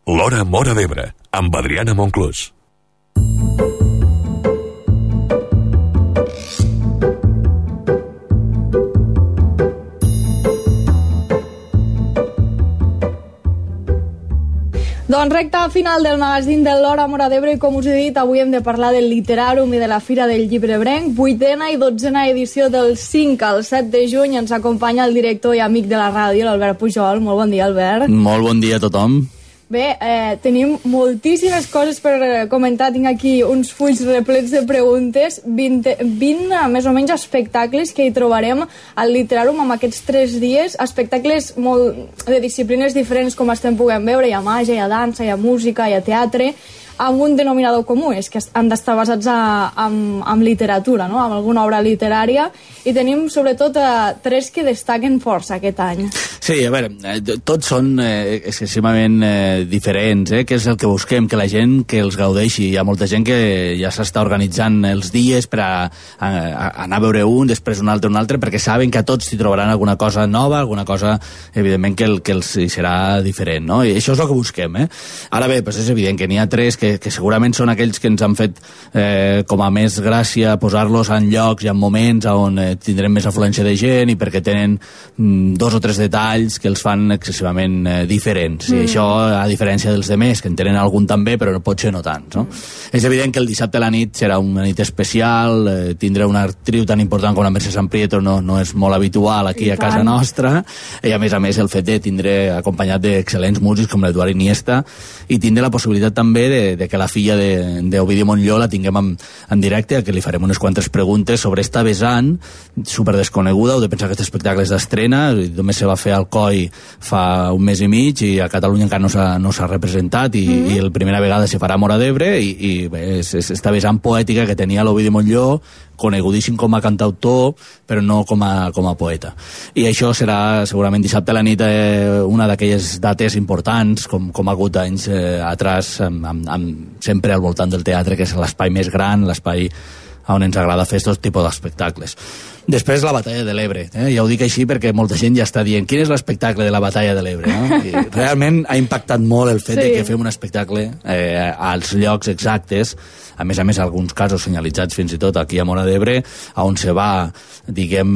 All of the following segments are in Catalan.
L'Hora Móra d'Ebre, amb Adriana Monclús. Doncs recta final del magazín de l'Hora Móra d'Ebre i com us he dit, avui hem de parlar del Literàrum i de la Fira del Llibre Ebrenc, 8a i 12a edició del 5 al 7 de juny. Ens acompanya el director i amic de la ràdio, l'Albert Pujol. Molt bon dia, Albert. Molt bon dia a tothom. Bé, tenim moltíssimes coses per comentar. Tinc aquí uns fulls replets de preguntes, 20 més o menys espectacles que hi trobarem al Literàrum en aquests 3 dies, espectacles molt de disciplines diferents com estem podent veure. Hi ha màgia, hi ha dansa, hi ha música, hi ha teatre, amb un denominador comú, és que han d'estar basats en literatura, no? En alguna obra literària, i tenim sobretot 3 que destaquen força aquest any. Sí, a veure, tots són excessivament diferents, que és el que busquem, que la gent que els gaudeixi. Hi ha molta gent que ja s'està organitzant els dies per a anar a veure un, després un altre, perquè saben que a tots s'hi trobaran alguna cosa nova, alguna cosa, evidentment, que els serà diferent, no? I això és el que busquem, Ara bé, doncs és evident que n'hi ha 3 que segurament són aquells que ens han fet com a més gràcia posar-los en llocs i en moments on tindrem més afluència de gent i perquè tenen 2 o 3 detalls que els fan excessivament diferents. I això, a diferència dels demés, que en tenen algun també, però potser no tants, no? És evident que el dissabte a la nit serà una nit especial, tindrà una actriu tan important com la Mercè Samprieto no és molt habitual aquí a casa nostra, i a més el fet de tindre acompanyat d'excel·lents músics com l'Eduard Iniesta, i tindre la possibilitat també de que la filla d'Ovidi Montllor la tinguem en directe, a que li farem unes quantes preguntes sobre esta vessant super desconeguda. Heu de pensar que aquest espectacle és d'estrena, només se va fer al COI fa un mes i mig i a Catalunya encara no s'ha representat, i la primera vegada se farà a Móra d'Ebre, i bé, és esta vessant poètica que tenia l'Ovidi Montllor, conegudíssim com a cantautor, però no com a poeta. I això serà segurament dissabte a la nit una d'aquelles dates importants, com ha hagut anys atrás, sempre al voltant del teatre, que és l'espai més gran, l'espai on ens agrada fer aquest tipus d'espectacles. Després la Batalla de l'Ebre, ja ho dic així perquè molta gent ja està dient quin és l'espectacle de la Batalla de l'Ebre, no? I realment ha impactat molt el fet de que fem un espectacle als llocs exactes, a més alguns casos senyalitzats fins i tot aquí a Móra d'Ebre, on se va, diguem,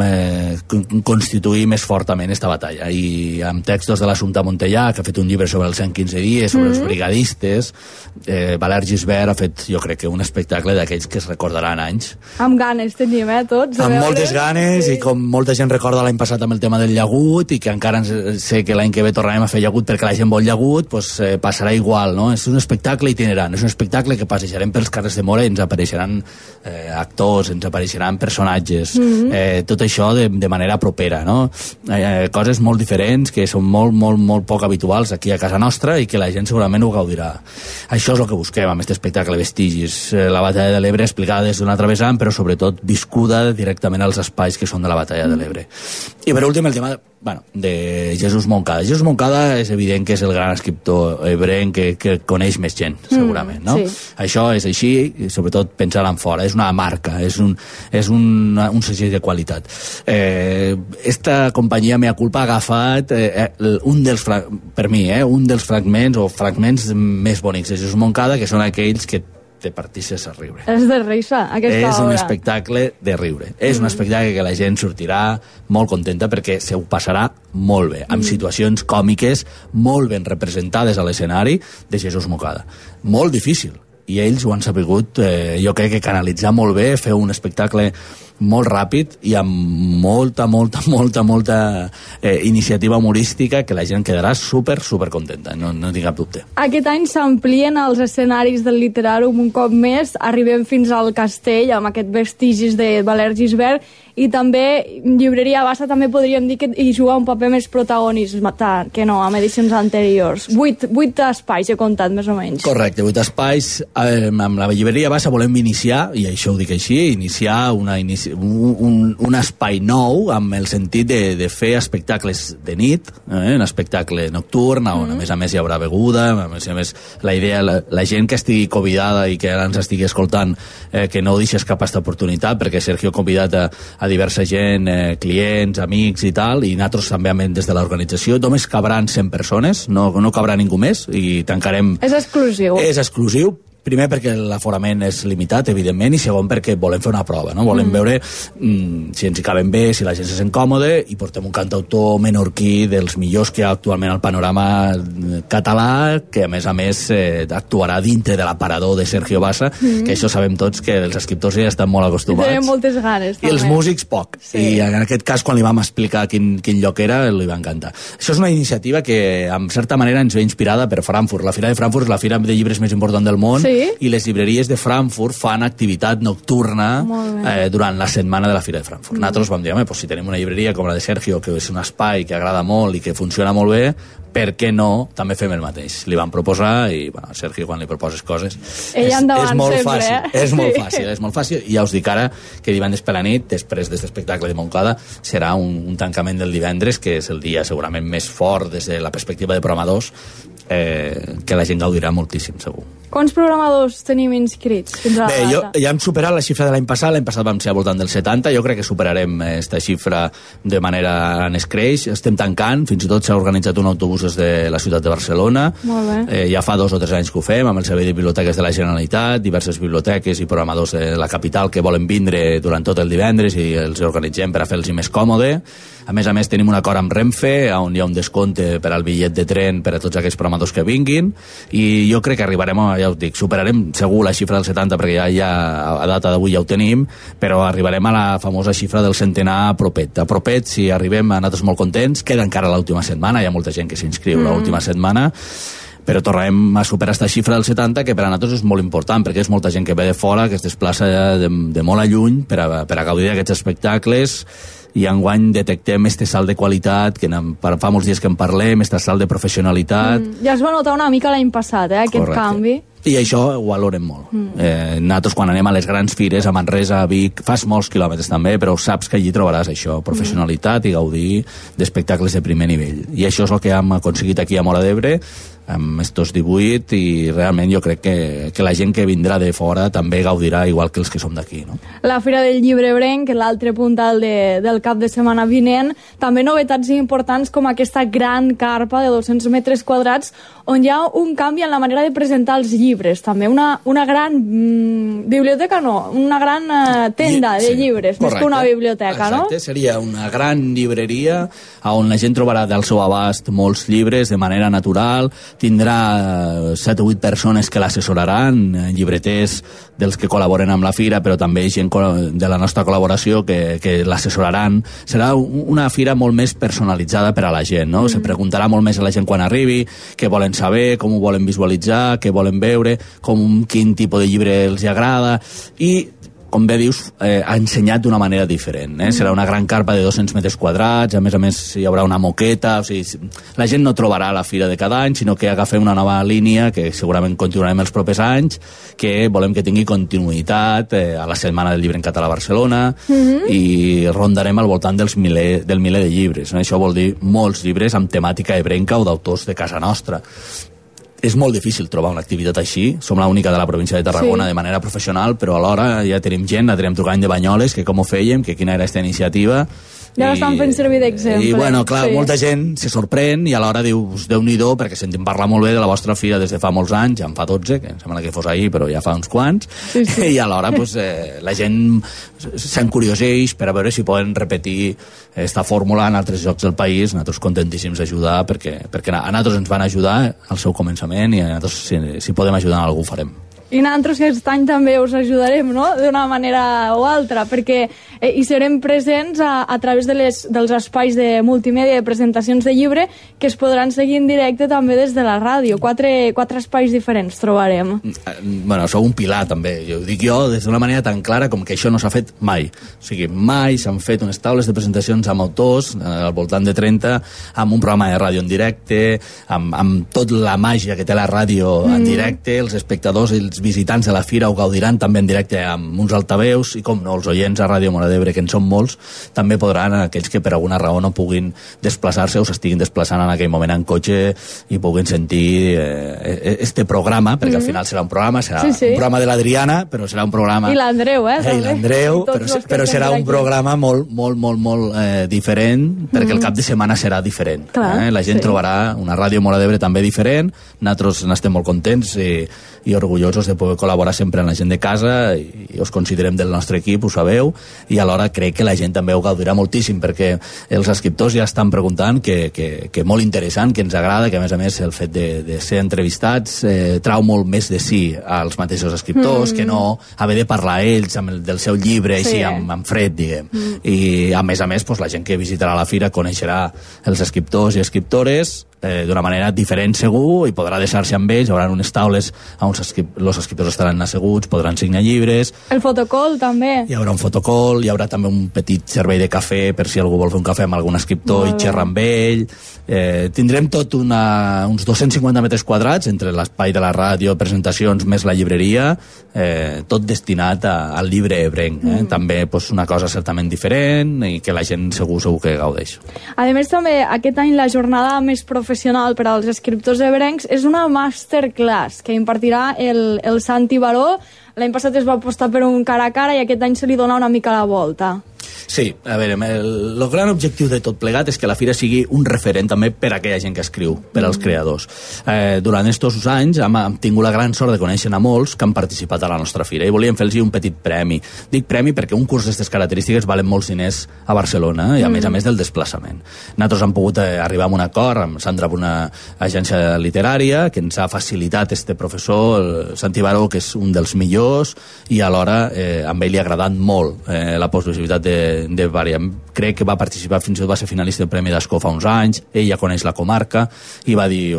constituir més fortament esta batalla. I amb textos de l'Assumpta Montellà, que ha fet un llibre sobre els 115 dies, sobre els brigadistes, Valère Gisbert ha fet, jo crec que un espectacle d'aquells que es recordaran anys. Amb ganes tenim, tots. Amb moltes ganes, i com molta gent recorda l'any passat amb el tema del llagut, i que encara sé que l'any que ve tornarem a fer llagut perquè la gent vol llagut, doncs passarà igual, no? És un espectacle itinerant, és un espectacle que passejarem pels carrers de Móra i ens apareixeran actors, ens apareixeran personatges, tot això de manera propera, no? Coses molt diferents que són molt poc habituals aquí a casa nostra i que la gent segurament ho gaudirà. Això és el que busquem amb aquest espectacle Vestigis, la Batalla de l'Ebre explicada des d'un altre vessant, però sobretot viscuda directament als espais que són de la Batalla de l'Ebre. I per últim el tema de Jesús Moncada. Jesús Moncada és evident que és el gran escriptor ebrenc que coneix més gent, segurament, no? Sí. Això és així, i sobretot pensar en fora, és una marca, és un segell de qualitat. Esta companyia Mea Culpa ha agafat per mi, un dels fragments més bonics de Jesús Moncada, que són aquells que te partisses a riure. És de risa, aquesta obra. És un espectacle de riure. És un espectacle que la gent sortirà molt contenta perquè se ho passarà molt bé, amb situacions còmiques molt ben representades a l'escenari de Jesús Moncada. Molt difícil. I ells ho han sabut, jo crec que canalitzar molt bé, fer un espectacle molt ràpid i amb molta iniciativa humorística que la gent quedarà super contenta, no tinc cap dubte. Aquest any s'amplien els escenaris del Literàrum un cop més, arribem fins al Castell amb aquest Vestigis de Valère Gisbert, i també Llibreria Bassa també podríem dir que hi juga un paper més protagonista que no amb edicions anteriors. 8 espais he comptat més o menys. Correcte, 8 espais. Amb la Llibreria Bassa volem iniciar, i això ho dic així, una un espai nou amb el sentit de fer espectacles de nit, un espectacle nocturn on a més hi haurà beguda, a més la idea, la gent que estigui convidada i que ara ens estigui escoltant, que no deixes cap aquesta oportunitat, perquè Sergio ha convidat a diversa gent, clients, amics i tal, i nosaltres també des de l'organització només cabran 100 persones, no cabrà ningú més, i tancarem... És exclusiu. És exclusiu, primer perquè l'aforament és limitat, evidentment, i segon perquè volem fer una prova, no? Volem veure si ens hi caben bé, si la gent se sent còmode, i portem un cantautor menorquí dels millors que hi ha actualment al panorama català, que a més actuarà dintre de l'aparador de Sergio Bassa, que això sabem tots que els escriptors ja estan molt acostumats. Tenen moltes ganes, també. I els músics poc. Sí. I en aquest cas, quan li vam explicar quin lloc era, li va encantar. Això és una iniciativa que, en certa manera, ens ve inspirada per Frankfurt. La Fira de Frankfurt és la fira de llibres més important del món, i les llibreries de Frankfurt fan activitat nocturna durant la setmana de la Fira de Frankfurt. Nosaltres vam dir, si tenim una llibreria com la de Sergio, que és un espai que agrada molt i que funciona molt bé, per què no també fem el mateix? Li van proposar i, Sergio, quan li proposes coses és molt fàcil, és molt fàcil, i ja us dic ara que divendres per la nit, després d'aquest espectacle de Montcada, serà un tancament del divendres, que és el dia segurament més fort des de la perspectiva de programadors, que la gent gaudirà moltíssim, segur. Quants programadors tenim inscrits fins a la data? Ja hem superat la xifra de l'any passat vam ser al voltant del 70, jo crec que superarem aquesta xifra de manera en escreix, estem tancant, fins i tot s'ha organitzat un autobús des de la ciutat de Barcelona. Molt bé. Ja fa 2 o 3 anys que ho fem, amb el servei de biblioteques de la Generalitat, diverses biblioteques i programadors de la capital que volen vindre durant tot el divendres i els organitzem per a fer-los més còmode. A més, tenim un acord amb Renfe, on hi ha un descompte per al bitllet de tren per a tots aquells programadors que vinguin, i jo crec que arribarem, ja us dic, superarem segur la xifra del 70, perquè ja a data d'avui ja ho tenim, però arribarem a la famosa xifra del centenar propet. A propet, si arribem, nosaltres molt contents, queda encara l'última setmana, hi ha molta gent que s'inscriu l'última setmana, però tornarem a superar aquesta xifra del 70, que per a nosaltres és molt important, perquè és molta gent que ve de fora, que es desplaça de molt a lluny per a gaudir d'aquests espectacles, i enguany detectem este salt de qualitat, que fa molts dies que en parlem, este salt de professionalitat. Ja es va notar una mica l'any passat, aquest canvi. I això ho valorem molt. Nosaltres, quan anem a les grans fires, a Manresa, a Vic, fas molts quilòmetres també, però saps que allí trobaràs això, professionalitat i gaudir d'espectacles de primer nivell. I això és el que hem aconseguit aquí a Móra d'Ebre, amb estos 18, i realment jo crec que la gent que vindrà de fora també gaudirà igual que els que som d'aquí, no? La Fira del Llibre Ebrenc, l'altre puntal del cap de setmana vinent, també novetats importants com aquesta gran carpa de 200 metres quadrats on hi ha un canvi en la manera de presentar els llibres, també una gran biblioteca, una gran tenda de llibres, més que una biblioteca, no? Exacte, seria una gran llibreria on la gent trobarà del seu abast molts llibres de manera natural, tindrà 7 o 8 persones que l'assessoraran, llibreters dels que col·laboren amb la fira, però també gent de la nostra col·laboració que l'assessoraran. Serà una fira molt més personalitzada per a la gent, no? Se preguntarà molt més a la gent quan arribi, què volen saber, com ho volen visualitzar, què volen veure, quin tipus de llibre els agrada, i com bé dius, ha ensenyat d'una manera diferent. Serà una gran carpa de 200 metres quadrats, a més hi haurà una moqueta, o sigui, la gent no trobarà la fira de cada any, sinó que agafem una nova línia, que segurament continuarem els propers anys, que volem que tingui continuïtat a la Setmana del Llibre en Català a Barcelona, i rondarem al voltant del miler de llibres. Això vol dir molts llibres amb temàtica ebrenca o d'autors de casa nostra. És molt difícil trobar una activitat així. Som l'única de la província de Tarragona de manera professional, però alhora ja tenim gent, la tenim trucant de Banyoles, que com ho fèiem, que quina era aquesta iniciativa. Ja l'estan fent servir d'exemple. I, bueno, clar, molta gent se sorprèn i alhora dius, Déu-n'hi-do, perquè sentim parlar molt bé de la vostra fira des de fa molts anys, ja en fa 12, que em sembla que fos ahir, però ja fa uns quants, i alhora la gent s'encurioseix per a veure si poden repetir esta fórmula en altres llocs del país. Nosaltres contentíssims d'ajudar, perquè a nosaltres ens van ajudar al seu començament, i a nosaltres, si podem ajudar en algú, ho farem. I nosaltres aquest any també us ajudarem, no?, d'una manera o altra, perquè hi serem presents a través dels espais de multimèdia, de presentacions de llibre, que es podran seguir en directe també des de la ràdio. Quatre espais diferents trobarem. Bueno, sou un pilar també, ho dic jo des d'una manera tan clara com que això no s'ha fet mai. O sigui, mai s'han fet unes taules de presentacions amb autors, al voltant de 30, amb un programa de ràdio en directe, amb tot la màgia que té la ràdio en directe, els espectadors, els visitants de la fira ho gaudiran també en directe amb uns altaveus i, com no, els oients a Ràdio Móra d'Ebre, que en són molts, també podran, aquells que per alguna raó no puguin desplaçar-se o s'estiguin desplaçant en aquell moment en cotxe i puguin sentir este programa, perquè al final serà un programa, serà un programa de l'Adriana, però serà un programa... I l'Andreu, I l'Andreu, però serà un programa molt diferent, perquè el cap de setmana serà diferent. La gent trobarà una Ràdio Móra d'Ebre també diferent, nosaltres n'estem molt contents i orgullosos de poder col·laborar sempre amb la gent de casa i us considerem del nostre equip, ho sabeu, i alhora crec que la gent també ho gaudirà moltíssim, perquè els escriptors ja estan preguntant que molt interessant, que ens agrada, que a més el fet de ser entrevistats trau molt més de si als mateixos escriptors, que no haver de parlar ells del seu llibre així amb fred, diguem. I a més, la gent que visitarà la fira coneixerà els escriptors i escriptores d'una manera diferent segur i podrà deixar-se amb ells, hi haurà unes taules on els escriptors estaran asseguts, podran signar llibres. El fotocall també. Hi haurà un fotocall, hi haurà també un petit servei de cafè per si algú vol fer un cafè amb algun escriptor i xerrar amb ell. Tindrem tot uns 250 metres quadrats entre l'espai de la ràdio, presentacions, més la llibreria, tot destinat al llibre ebrenc. També una cosa certament diferent i que la gent segur que gaudeix. A més, també aquest any la jornada més professional per als escriptors ebrencs és una masterclass que impartirà el Santi Baró. L'any passat es va apostar per un cara a cara i aquest any se li dona una mica la volta. Sí, a veure, el gran objectiu de tot plegat és que la fira sigui un referent també per a aquella gent que escriu, per als creadors. Durant aquests anys hem tingut la gran sort de conèixer a molts que han participat a la nostra fira i volíem fer-los un petit premi. Dic premi perquè un curs d'aquestes característiques valen molts diners a Barcelona i a més del desplaçament. Nosaltres hem pogut arribar a un acord amb Sandra, una agència literària, que ens ha facilitat este professor, el Santi Baró, que és un dels millors, i alhora a ell li ha agradat molt la possibilitat de variar. Crec que va participar, fins i tot va ser finalista del Premi d'Ascó fa uns anys, ell ja coneix la comarca i va dir,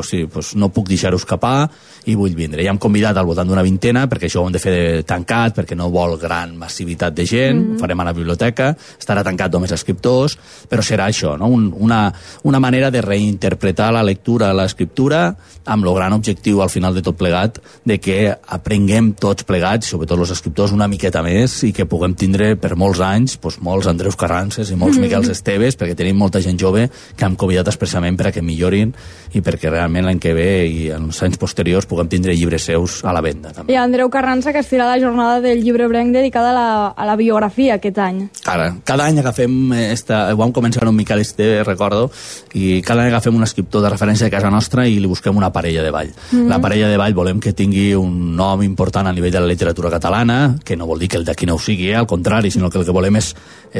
no puc deixar-ho escapar i vull vindre. I hem convidat al voltant d'una vintena, perquè això ho hem de fer tancat, perquè no vol gran massivitat de gent, ho farem a la biblioteca, estarà tancat només a escriptors, però serà això, no? una manera de reinterpretar la lectura, l'escriptura, amb el gran objectiu al final de tot plegat, de que aprenguem tots plegats, sobretot els escriptors, una miqueta més i que puguem tindre per molts anys molts Andreus Carrances i molts Miquels Esteves, perquè tenim molta gent jove que hem convidat expressament per a que millorin i perquè realment l'any que ve i en els anys posteriors puguem tindre llibres seus a la venda. També. I Andreu Carranza, que estirà la jornada del llibre ebrenc dedicada a la biografia aquest any. Cada any agafem, ho vam començar amb Miquel Esteve, recordo, i cada any agafem un escriptor de referència de casa nostra i li busquem una parella de ball. La parella de ball volem que tingui un nom important a nivell de la literatura catalana, que no vol dir que el d'aquí no ho sigui, al contrari, sinó que el que volem és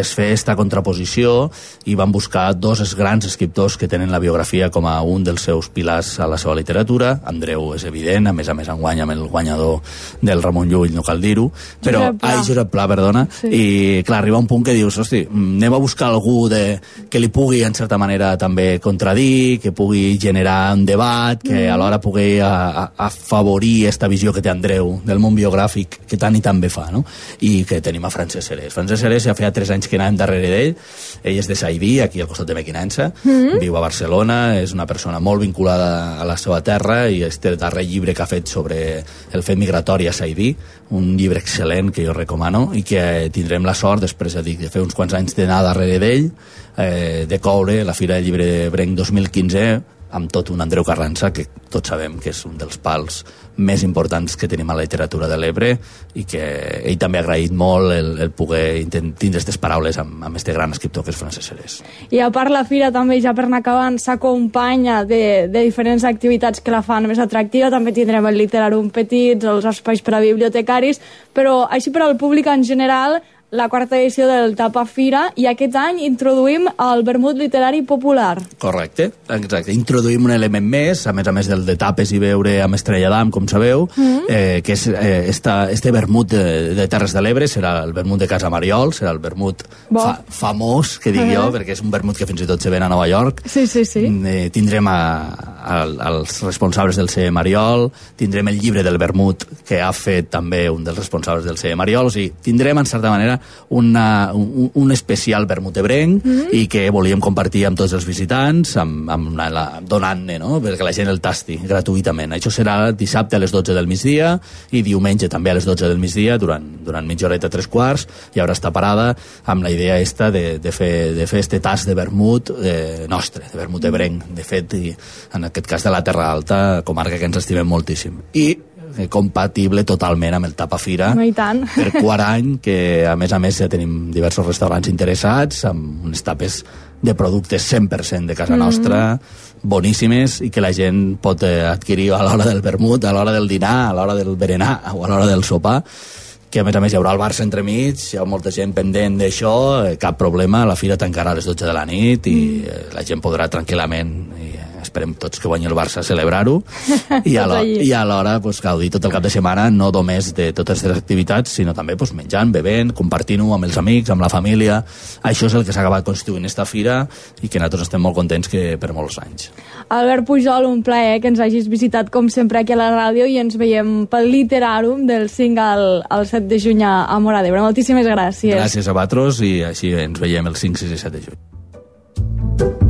fer esta contraposició i van buscar dos grans escriptors que tenen la biografia com a un dels seus pilars a la seva literatura. Andreu és evident, a més enguany amb el guanyador del Ramon Llull, no cal dir-ho, però Josep Pla, perdona, sí. I clar, arriba un punt que dius, anem a buscar algú que li pugui en certa manera també contradir, que pugui generar un debat, que alhora pugui afavorir esta visió que té Andreu del món biogràfic que tant i tant bé fa, no? I que tenim a Francesc Serés. Francesc Serés ja feia 3 anys que anàvem darrere d'ell, ell és de Saidí, aquí al costat de Mequinensa, viu a Barcelona, és una persona molt vinculada a la seva terra i este darrer llibre que ha fet sobre el fet migratori a Saidí, un llibre excel·lent que jo recomano i que tindrem la sort, després de fer uns quants anys d'anar darrere d'ell, de coure la Fira del Llibre ebrenc 2015 amb tot un Andreu Carranza, que tots sabem que és un dels pals més importants que tenim a la literatura de l'Ebre i que ell també ha agraït molt el poder tindre aquestes paraules amb este gran escriptor que és Francesc Serés. I a part la fira també, ja per anar acabant, s'acompanya de diferents activitats que la fan més atractiva. També tindrem el Literàrum Petits, els espais per a bibliotecaris, però així per al públic en general, la 4ª edició del Tapa Fira, i aquest any introduïm el vermut literari popular. Correcte, exacte. Introduïm un element més, a més del de tapes i beure amb Estrella d'Am, com sabeu, que és este vermut de Terres de l'Ebre, serà el vermut de Casa Mariol, serà el vermut famós, que dic jo, perquè és un vermut que fins i tot se ven a Nova York. Sí. Tindrem els responsables del CE Mariol, tindrem el llibre del vermut que ha fet també un dels responsables del CE Mariol, o sigui, tindrem en certa manera un especial vermut ebrenc i que volíem compartir amb tots els visitants, donant-ne, no? Perquè la gent el tasti gratuïtament. Això serà dissabte a les 12 del migdia i diumenge també a les 12 del migdia, durant mitja horeta, 3/4, i ara està parada amb la idea esta de fer este tast de vermut nostre, de vermut ebrenc, de fet, i en aquest cas de la Terra Alta, comarca que ens estimem moltíssim. I compatible totalment amb el Tapafira per quart any, que a més ja tenim diversos restaurants interessats amb unes tapes de productes 100% de casa nostra, boníssimes, i que la gent pot adquirir a l'hora del vermut, a l'hora del dinar, a l'hora del berenar o a l'hora del sopar, que a més hi haurà el Barça entremig, hi ha molta gent pendent d'això, cap problema, la fira tancarà a les 12 de la nit i la gent podrà tranquil·lament, i esperem tots que guanyi el Barça, celebrar-ho, i alhora gaudir tot el cap de setmana, no només de totes les activitats, sinó també menjant, bevent, compartint-ho amb els amics, amb la família. Això és el que s'ha acabat constituint esta fira i que nosaltres estem molt contents que per molts anys. Albert Pujol, un plaer que ens hagis visitat com sempre aquí a la ràdio, i ens veiem pel Literàrum del 5 al 7 de juny a Móra d'Ebre. Moltíssimes gràcies. Gràcies a vosaltres, i així ens veiem el 5, 6 i 7 de juny.